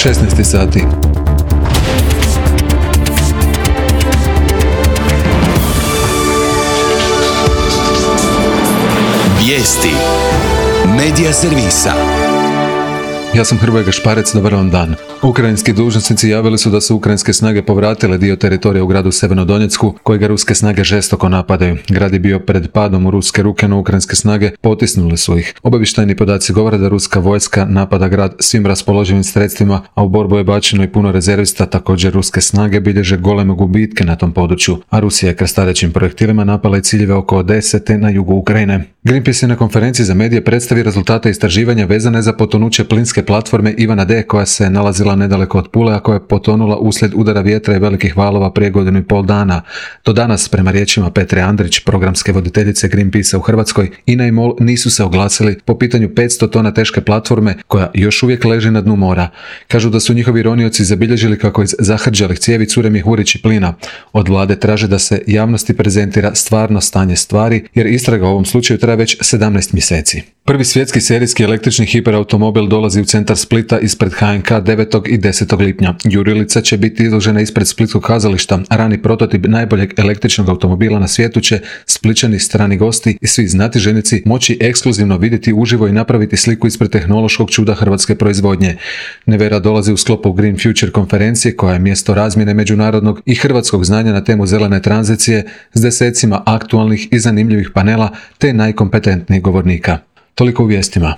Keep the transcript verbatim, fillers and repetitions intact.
šesnaest sati. Vijesti Medija servisa. Ja sam Hrvoje Gašparec, dobar vam dan. Ukrajinski dužnosnici javili su da su ukrajinske snage povratile dio teritorija u gradu Severnodonjecku, kojega ruske snage žestoko napadaju. Grad je bio pred padom u ruske ruke, no ukrajinske snage potisnule su ih. Obavještajni podaci govore da ruska vojska napada grad svim raspoloživim sredstvima, a u borbu je bačeno i puno rezervista. Također ruske snage bilježe goleme gubitke na tom području, a Rusija je krstarećim projektilima napala i ciljeve oko Odese na jugu Ukrajine. Greenpeace je na konferenciji za medije predstavi rezultate istraživanja vezane za potonuće plinske platforme Ivana D, koja se nalazila nedaleko od Pule, a koja je potonula uslijed udara vjetra i velikih valova prije godinu i pol dana. Do danas, prema riječima Petre Andrić, programske voditeljice Greenpeacea u Hrvatskoj, I N A i MOL nisu se oglasili po pitanju petsto tona teške platforme koja još uvijek leži na dnu mora. Kažu da su njihovi ronioci zabilježili kako iz zahrđalih cijevi cure mjehurići plina. Od vlade traže da se javnosti prezentira stvarno stanje stvari, jer istraga u ovom slučaju traje već sedamnaest mjeseci. Prvi svjetski serijski električni hiperautomobil dolazi u centar Splita ispred H N K devetog i desetog lipnja. Jurilica će biti izložena ispred Splitskog kazališta, a rani prototip najboljeg električnog automobila na svijetu će Splićani, strani gosti i svi znatiželjnici moći ekskluzivno vidjeti uživo i napraviti sliku ispred tehnološkog čuda hrvatske proizvodnje. Nevera dolazi u sklopu Green Future konferencije, koja je mjesto razmjene međunarodnog i hrvatskog znanja na temu zelene tranzicije s desecima aktualnih i zanimljivih panela te najkompetentnijih govornika. Toliko u vijestima.